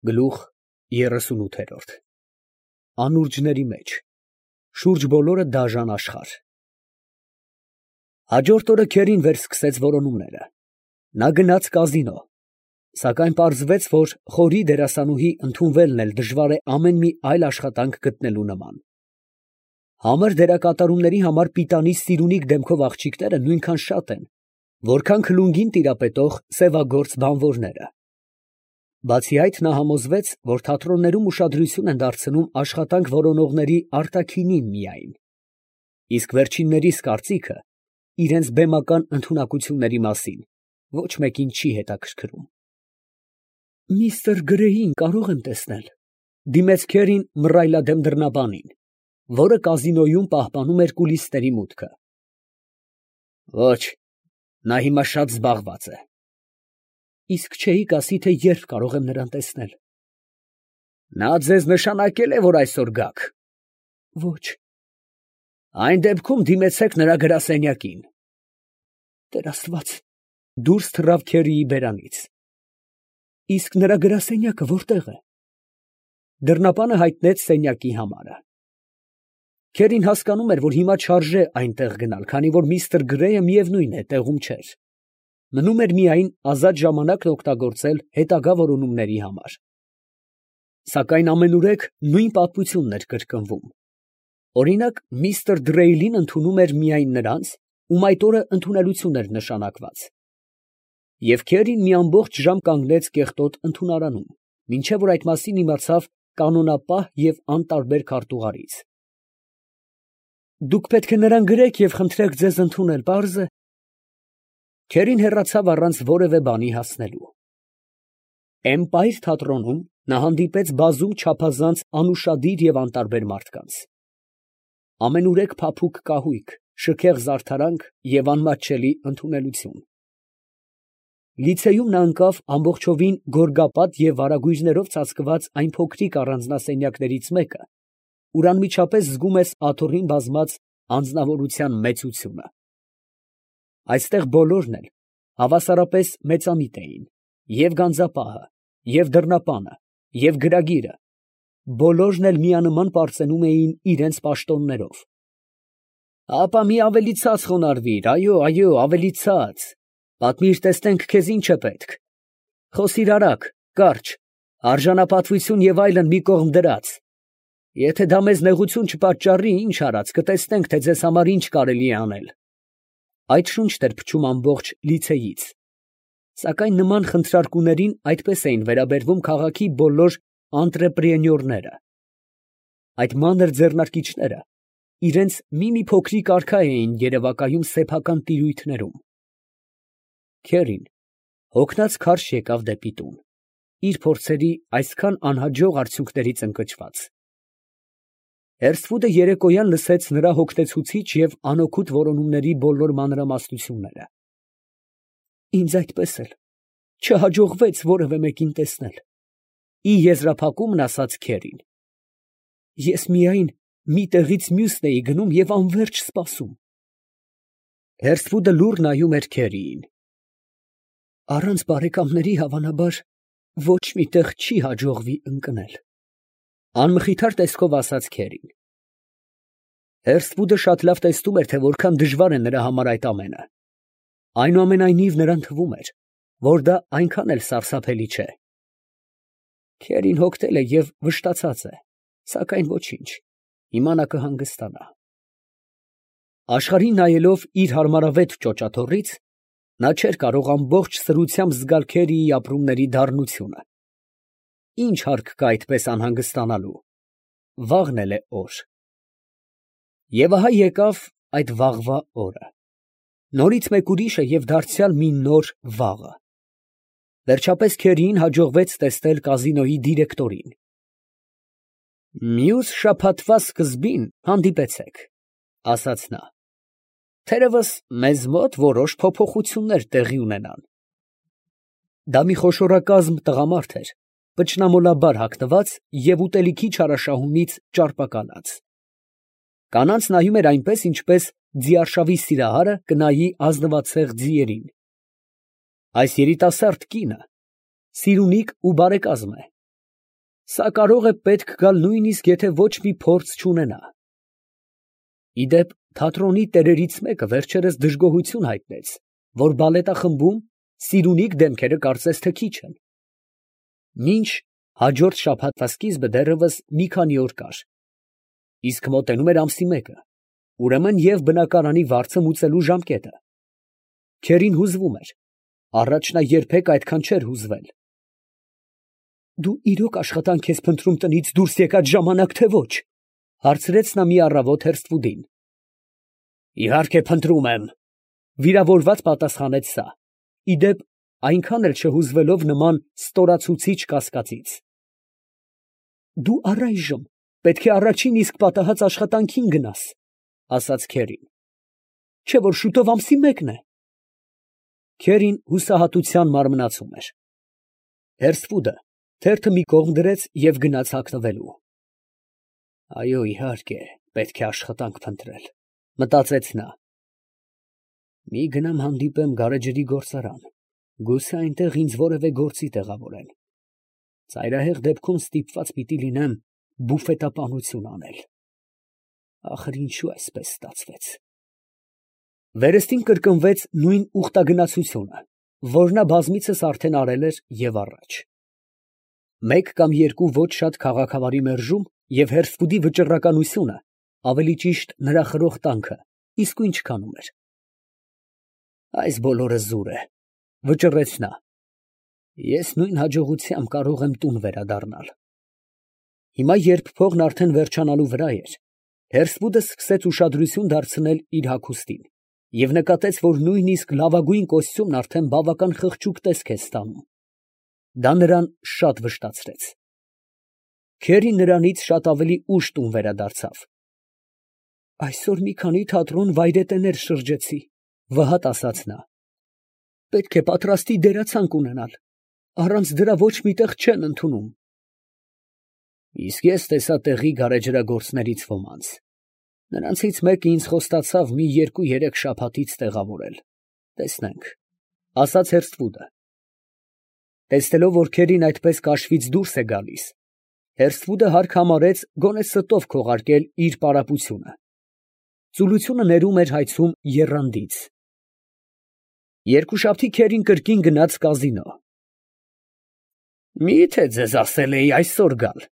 Գլուխ 38 Անուրջների մեջ, շուրջ բոլորը դաժան աշխարհ։ Հաջորդ օրը քերին վերսկսեց որոնումները։ Նա գնաց կազինո, սակայն պարզվեց, որ խորի դերասանուհի ընդունվելն էլ դժվար է ամեն մի այլ աշխատանք գտնելու նման։ Համր դերակատարումների համար պիտանի սիրունիկ դեմքով աղջիկները նույնքան շատ են, որքան քլունգին տիրապետող սևագործ բանվորները։ Բացի այդ, նա համոզվեց, որ թատրոններում ուշադրություն են դարձնում աշխատանք որոնողների արտաքինին միայն, իսկ վերջիններիս կարծիքը իրենց բեմական ընդունակությունների մասին ոչ մեկին չի հետաքրքրում։ «Միստր Գրեյին կարող եմ տեսնել», ֊ դիմեց քերին մռայլադեմ դռնաբանին, որը կազինոյում պահպանում էր կուլիսների մուտքը։ «Ոչ, նա հիմա շատ զբաղված է»։ «Իսկ չէիք ասի, թե երբ կարող եմ նրան տեսնել»։ «Նա ձեզ նշանակել է, որ այսօր գաք»։ «Ոչ»։ «Այն դեպքում դիմեցեք նրա գրասենյակին»։ «Տեր Աստված», դուրս թռավ քերիի բերանից։ «Իսկ նրա գրասենյակը որտե՞ղ է»։ Դռնապանը հայտնեց սենյակի համարը։ Քերին հասկանում էր, որ հիմա չարժե այնտեղ գնալ, քանի որ միստր Գրեյը միևնույն է տեղում չէր։ Մնում էր միայն ազատ ժամանակն օգտագործել հետագա որոնումների համար։ Սակայն ամենուրեք նույն պատմությունն էր կրկնվում։ Օրինակ, միստր Դրեյլին ընդունում էր միայն նրանց, ում այդ օրը ընդունելություն էր նշանակված։ Եվ քերին մի ամբողջ ժամ կանգնեց կեղտոտ ընդունարանում, մինչև որ այդ մասին իմացավ կանոնապահ և անտարբեր քարտուղարից։ «Դուք պետք է նրան գրեք և խնդրեք ձեզ ընդունել, պարզ է»։ Քերին հեռացավ առանց որևէ բանի հասնելու։ Էմպայր թատրոնում նա հանդիպեց բազում չափազանց անուշադիր և անտարբեր մարդկանց։ Ամենուրեք փափուկ կահույք, շքեղ զարդարանք և անմատչելի ընդունելություն։ Լիցեյում նա ընկավ ամբողջովին գորգապատ և վարագույրներով ծածկված այն փոքրիկ առանձնասենյակներից մեկը, ուր անմիջապես զգում ես աթոռին բազմած անձնավորության մեծությունը։ Այստեղ բոլորն էլ հավասարապես մեծամիտ էին, և գանձապահը, և դռնապանը, և գրագիրը, բոլորն էլ միանման պարծենում էին իրանց պաշտոններով։ «Հապա մի ավելի ցած խոնարհվիր, այո, ավելի ցած, պատմիր, տեսնենք, քեզ ինչ է պետք, խոսիր արագ, կարճ, արժանապատվություն և այլն մի կողմ դրած։ Եթե դա մեզ նեղություն չպատճառի, ինչ արած, կտեսնենք, թե ձեզ համար ինչ կարելի է անել»։ Այդ շունչն էր փչում ամբողջ լիցեյից։ Սակայն նման խնդրարկուներին այդպես էին վերաբերվում քաղաքի բոլոր անտրեպրենյորները։ Այդ մանր ձեռնարկիչները իրենց մի փոքրիկ արքա էին երևակայում սեփական տիրույթներում։ Քերին հոգնած քարշ եկավ դեպի տուն, իր փորձերի այսքան անհաջող արդյունքներից ընկճված։ Հերսվուդը երեկոյան լսեց նրա հոգնեցուցիչ և անօգուտ որոնումների բոլոր մանրամասնությունները։ «Ինձ այդպես էլ չհաջողվեց որևէ մեկին տեսնել», ֊ ի եզրափակումն ասաց քերին։ «Ես միայն մի տեղից մյուսն էի գնում և անվերջ սպասում»։ Հերսվուդը լուռ նայում էր քերիին։ «Առանց բարեկամների, հավանաբար, ոչ մի տեղ չի հաջողվի ընկնել», ֊ անմխիթար տեսքով ասաց քերին։ Հերսվուդը շատ լավ տեսնում էր, թե որքան դժվար է նրա համար այդ ամենը։ Այնուամենայնիվ նրան թվում էր, որ դա այնքան էլ սարսափելի չէ։ Քերին հոգնել է և վշտացած է, սակայն ոչինչ, հիմա նա կհանգստանա։ Աշխարհին նայելով իր հարմարավետ ճոճաթոռից, նա չէր կարող ամբողջ սրությամբ զգալ քերիի ապրումների դառնությունը։ Ինչ հարկ կա այդպես անհանգստանալու, վաղն էլ է օր։ Եվ ահա եկավ այդ վաղվա օրը, նորից մեկ ուրիշը և դարձյալ մի նոր վաղը։ Վերջապես քերիին հաջողվեց տեսնել կազինոյի դիրեկտորին։ «Մյուս շաբաթվա սկզբին հանդիպեցեք», ֊ ասաց նա։ «Թերևս մեզ մոտ որոշ փոփոխություններ տեղի ունենան»։ Դա մի խոշորակազմ տղամարդ էր, պճնամոլաբար հագնված և ուտելիքի չարաշահումից ճարպակալած։ Կանանց նայում էր այնպես, ինչպես ձիարշավի սիրահարը կնայի ազնվացեղ ձիերին։ Այս երիտասարդ կինը սիրունիկ ու բարեկազմ է, Սա կարող է պետք գալ նույնիսկ եթե ոչ մի փորձ չունենա։ Իդեպ թատրոնի տերերից մեկը վերջերս դժգոհություն հայտնեց, որ բալետախմբում սիրունիկ դեմքերը կարծես թե քիչ են։ Մինչ հաջորդ շաբաթվա սկիզբը դեռևս մի քանի օր կար, իսկ մոտենում էր ամսի մեկը, ուրեմն և բնակարանի վարձը մուծելու ժամկետը։ Քերին հուզվում էր, առաջ նա երբեք այդքան չէր հուզվել։ Դու իրոք աշխատանք ես փնտրում տնից դուրս եկած ժամանակ, թե ոչ, հարցրեց նա մի առավոտ Հերսթվուդին։ Իհարկե փնտրում եմ, վիրավորված պատասխանեց սա, իդեպ այնքան էլ չհուզվելով նման ստորացուցիչ կասկածից։ Դու առայժմ պետք է առաջին իսկ պատահած աշխատանքին գնաս, ասաց Քերին, չէ՞ որ շուտով ամսի մեկն է։ Քերին հուսահատության մարմնացում էր։ Հերսթվուդը թերթը մի կողմ դրեց և գնաց հագնվելու։ Այո, իհարկե, պետք է աշխատանք փնտրել, մտածեց նա։ Մի գնամ հանդիպեմ գարեջրի գործարան, գուցե այնտեղ ինձ որևէ գործի տեղավորեն։ Ծայրահեղ դեպքում ստիպված պիտի լինեմ բուֆետապանություն անել։ Ախր ինչու այսպես ստացվեց։ Վերստին կրկնվեց նույն ուխտագնացությունը, որ նա բազմիցս արդեն արել էր և առաջ։ Մեկ կամ երկու ոչ շատ քաղաքավարի մերժում և Հերսթվուդի վճռականությունը, ավելի ճիշտ նրա խրոխտանքը, իսկույն չքանում էր։ Այս բոլորը զուր է, վճռեց նա։ Ես նույն հաջողությամբ կարող եմ տուն վերադառնալ։ Հիմա, երբ փողն արդեն վերջանալու վրա էր, Հերսթվուդը սկսեց ուշադրություն դարձնել իր հագուստին և նկատեց, որ նույնիսկ լավագույն կոստյումն արդեն բավական խղճուկ տեսք է ստանում։ Դա նրան շատ վշտացրեց։ Քերին նրանից շատ ավելի ուշ տուն վերադարձավ։ Այսօր մի քանի թատրոն վայրետեներ շրջեցի, վհատ ասաց նա։ Պետք է պատրաստի դերացանք ունենալ, առանց դրա ոչ մի տեղ չեն ընդունում։ Իսկ ես տեսա տեղի գարեջրագործներից ոմանց։ Նրանցից մեկը ինձ խոստացավ մի 2-3 շաբաթից տեղավորել։ Տեսնենք, ասաց Հերսթվուդը։ Տեսնելով, որ Քերին այդպես կաշվից դուրս է գալիս, Հերսթվուդը հարկ համարեց գոնե ստով քողարկել իր պարապությունը։ Ծուլությունը ներում էր հայցում եռանդից։ Երկուշաբթի Քերին կրկին գնաց կազինո։ Մի՞թե ձեզ ասել էի այսօր գալ,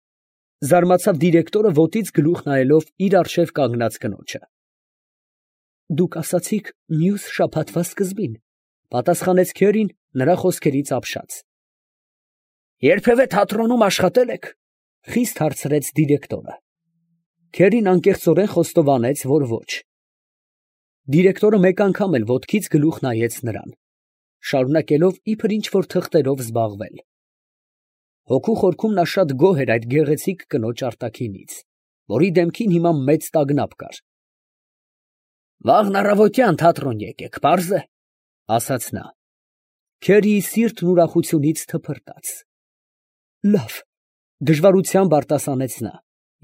զարմացավ դիրեկտորը ոտից գլուխ նայելով իր առջև կանգնած կնոջը։ Դուք ասացիք մյուս շաբաթվա սկզբին, պատասխանեց Քերին նրա խոսքերից ապշած։ Երբևէ թատրոնում աշխատել եք, խիստ հարցրեց դիրեկտորը։ Քերին անկեղծորեն խոստովանեց, որ ոչ։ Դիրեկտորը մեկ անգամ էլ ոտքից գլուխ նայեց նրան, շարունակելով իբր ինչ-որ թղթերով զբաղվել։ Հոգու խորքում նա շատ գոհ էր այդ գեղեցիկ կնոջ արտաքինից, որի դեմքին հիմա մեծ տագնապ կար։ Վաղն առավոտյան թատրոն եկեք, պարզ է, ասաց նա։ Քերիի սիրտն ուրախությունից թփրտաց։ Լավ, դժվարությամբ արտասանեց նա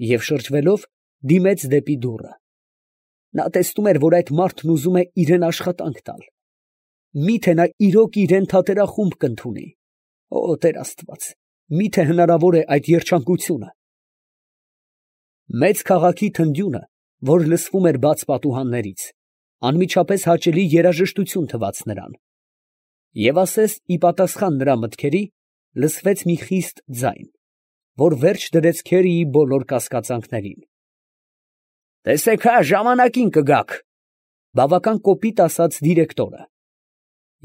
և շրջվելով դիմեց դեպի դուռը։ Նա տեսնում էր, որ այդ մարդն ուզում է իրան աշխատանք տալ։ Մի՞թե նա իրոք իրան թատերախումբ կընդունի։ Օ, Տեր Աստված, մի՞թե հնարավոր է այդ երջանկությունը։ Մեծ քաղաքի թնդյունը, որ լսվում էր բաց պատուհաններից, անմիջապես հաճելի երաժշտություն թվաց նրան։ Եվ ասես ի պատասխան նրա մտքերի լսվեց մի խիստ ձայն, որ վերջ դրեց Քերիի բոլոր կասկածանքներին։ Տեսեք հա, ժամանակին կգաք, բավական կոպիտ ասաց դիրեկտորը։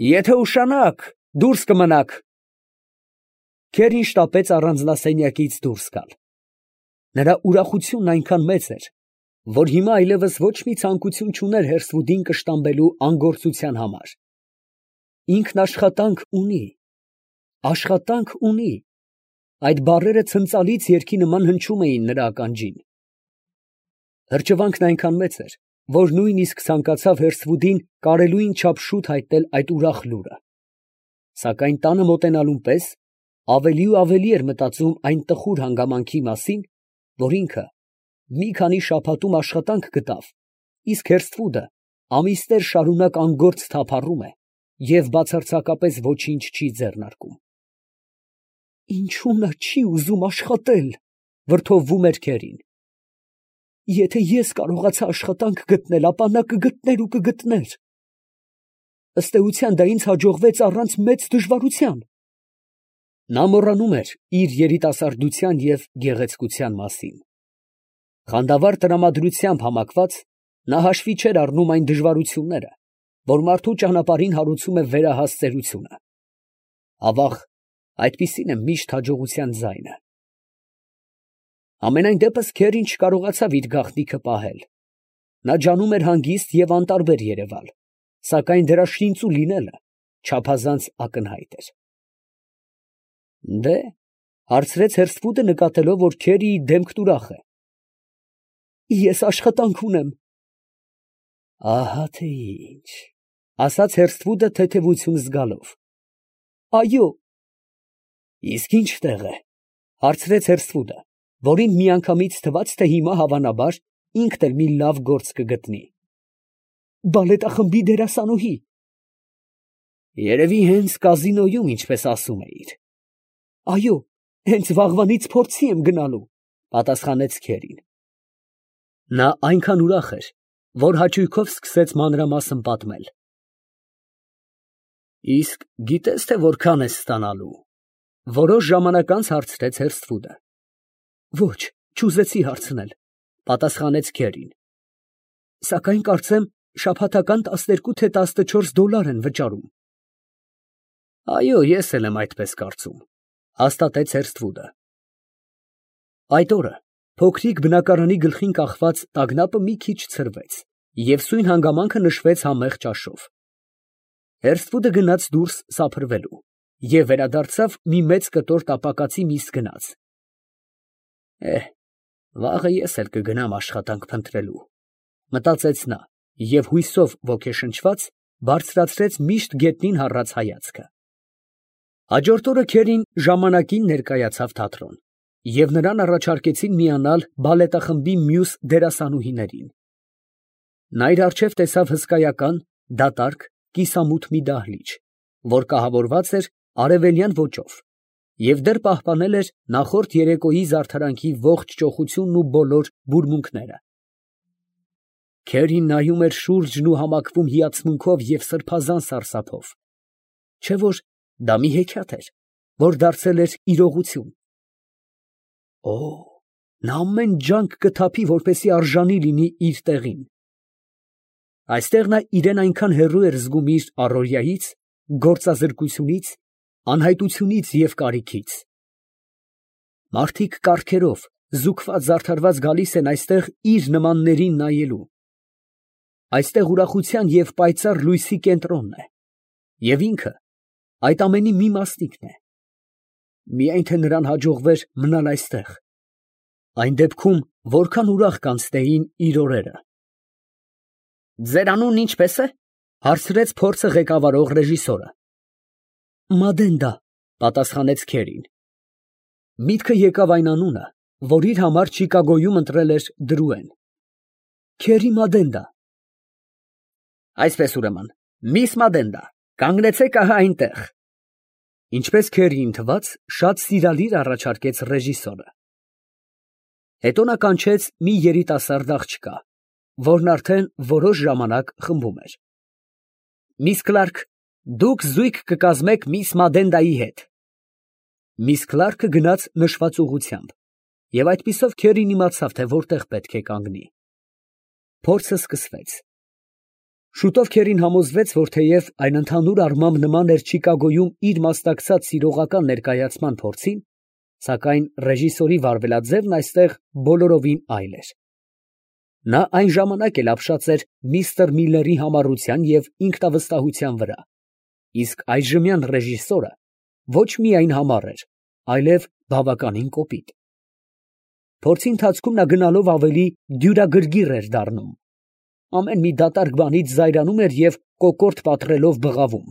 Եթե ուշանաք, դուրս կմնաք։ Քերին շտապեց առանձնասենյակից դուրս գալ։ Նրա ուրախությունն այնքան մեծ էր, որ հիմա այլևս ոչ մի ցանկություն չուներ Հերսթվուդին կշտամբելու անգործության համար։ Ինքն աշխատանք ունի, աշխատանք ունի։ Այդ բառերը ցնծալից երգի նման հնչում էին նրա ականջին։ Հրճվանքն այնքան մեծ էր, որ նույնիսկ ցանկացավ Հերսթվուդին կարելույն չափ շուտ հայտնել այդ ուրախ լուրը։ Սակայն տանը մոտենալուն պես ավելի ու ավելի էր մտածում այն տխուր հանգամանքի մասին, որ ինքը մի քանի շաբաթում աշխատանք գտավ, իսկ Հերսթվուդը ամիսներ շարունակ անգործ թափառում է և բացարձակապես ոչինչ չի ձեռնարկում։ Ինչու նա չի ուզում աշխատել, վրդովվում էր Քերին։ Եթե ես կարողացա աշխատանք գտնել, ապա նա կգտներ ու կգտներ։ Ըստ էության դա ինձ հաջողվեց առանց մեծ դժվարության։ Նա մոռանում էր իր երիտասարդության և գեղեցկության մասին։ Խանդավառ տրամադրությամբ համակված, նա հաշվի չէր առնում այն դժվարությունները, որ մարդու ճանապարհին հարուցում է վերահաս ծերությունը։ Ավաղ, այդպիսին է միշտ հաջողության ձայնը։ Համենայն դեպս Քերին չկարողացավ իր գաղտնիքը պահել։ Նա ջանում էր հանգիստ և անտարբեր երևալ, սակայն դրա շինծու լինելը չափազանց ակնհայտ էր։ Դե, հարցրեց Հերսֆուդը, նկատելով, որ Քերիի դեմքն ուրախ է։ Ես աշխատանք ունեմ։ Ահա թե ինչ, ասաց Հերսֆուդը թեթևություն զգալով։ Այո։ Իսկ ինչ տեղ է, հարցրեց Հերսֆուդը, որին միանգամից թվաց, թե հիմա հավանաբար ինքն էլ մի լավ գործ կգտնի։ Բալետախմբի դերասանուհի։ Երևի հենց կազինոյում, ինչպես ասում էիր։ Այո, հենց վաղվանից փորձի եմ գնալու, պատասխանեց Քերին։ Նա այնքան ուրախ էր, որ հաճույքով սկսեց մանրամասն պատմել։ Իսկ գիտես, թե որքան ես ստանալու, որոշ ժամանակ անց հարցրեց Հերսֆուդը։ Ոչ, չուզեցի հարցնել, պատասխանեց Քերին։ Սակայն կարծեմ շաբաթական 12 թե 14 դոլար են վճարում։ Այո, ես էլ եմ այդպես կարծում, հաստատեց Հերսֆուդը։ Այդ օրը փոքրիկ բնակարանի գլխին կախված տագնապը մի քիչ ցրվեց, և սույն հանգամանքը նշվեց համեղ ճաշով։ Հերսֆուդը գնաց դուրս սափրվելու և վերադարձավ մի մեծ կտոր տապակացի միս գնած։ Վաղը ես էլ կգնամ աշխատանք փնտրելու, մտածեց նա և հույսով ոգեշնչված բարձրացրեց միշտ գետնին հառած հայացքը։ Հաջորդ օրը Քերին ժամանակին ներկայացավ թատրոն, և նրան առաջարկեցին միանալ բալետախմբի մյուս դերասանուհիներին։ Նա իր առջև տեսավ հսկայական, դատարկ, կիսամութ մի դահլիճ, որ կահավորված էր արևելյան ոճով և դեռ պահպանել էր նախորդ երեկոյի զարդարանքի ողջ ճոխությունն ու բոլոր բուրմունքները։ Քերին նայում էր շուրջն ու համակվում հիացմունքով և սրբազան սարսափով, չէ՞ որ դա մի հեքիաթ էր, որ դարձել էր իրողություն։ Նա ամեն ջանք կթափի, որպեսզի արժանի լինի իր տեղին։ Այստեղ նա իրան այնքան հեռու էր զգում իր առօրյայից, գործազրկությունից, անհայտությունից և կարիքից։ Մարդիկ կառքերով, զուգված֊զարդարված գալիս են այստեղ իր նմաններին նայելու։ Այստեղ ուրախության և պայծառ լույսի կենտրոնն է, և ինքը այդ ամենի մի մասնիկն է։ Միայն թե նրան հաջողվեր մնալ այստեղ, այն դեպքում որքան ուրախ կանցնեին իր օրերը։ Ձեր անունն ինչպե՞ս է, հարցրեց փորձը ղեկավարող ռեժիսորը։ Մադենդա, պատասխանեց Քերին։ Միտքը եկավ այն անունը, որ իր համար Չիկագոյում ընտրել էր դրուեն։ Քերի Մադենդա։ Այսպես ուրեմն, միս Մադենդա, կանգնեցեք ահա այնտեղ։ Ինչպես Քերիին թվաց, շատ սիրալիր առաջարկեց ռեժիսորը։ Հետո նա կանչեց մի երիտասարդ աղջկա, որն արդեն որոշ ժամանակ խմբում էր։ Միս Քլարք, դուք զույգ կկազմեք միս Մադենդայի հետ։ Միս Քլարքը գնաց նշված ուղղությամբ, և այդպիսով Քերին իմացավ, թե որտեղ պետք է կանգնի։ Փորձը սկսվեց։ Շուտով Քերին համոզվեց, որ թեև այն ընդհանուր առմամբ նման էր Չիկագոյում իր մասնակցած սիրողական ներկայացման փորձին, սակայն ռեժիսորի վարվելաձևն այստեղ բոլորովին այլ էր։ Նա այն ժամանակ էլ ապշած էր միստր Միլլերի համառության և ինքնավստահության վրա, իսկ այժմյան ռեժիսորը ոչ միայն համառ էր, այլև բավականին կոպիտ։ Փորձի ընթացքում նա գնալով ավելի դյուրագրգիռ էր դառնում։ Ամեն մի դատարկ բանից զայրանում էր և կոկորդ պատռելով բղավում։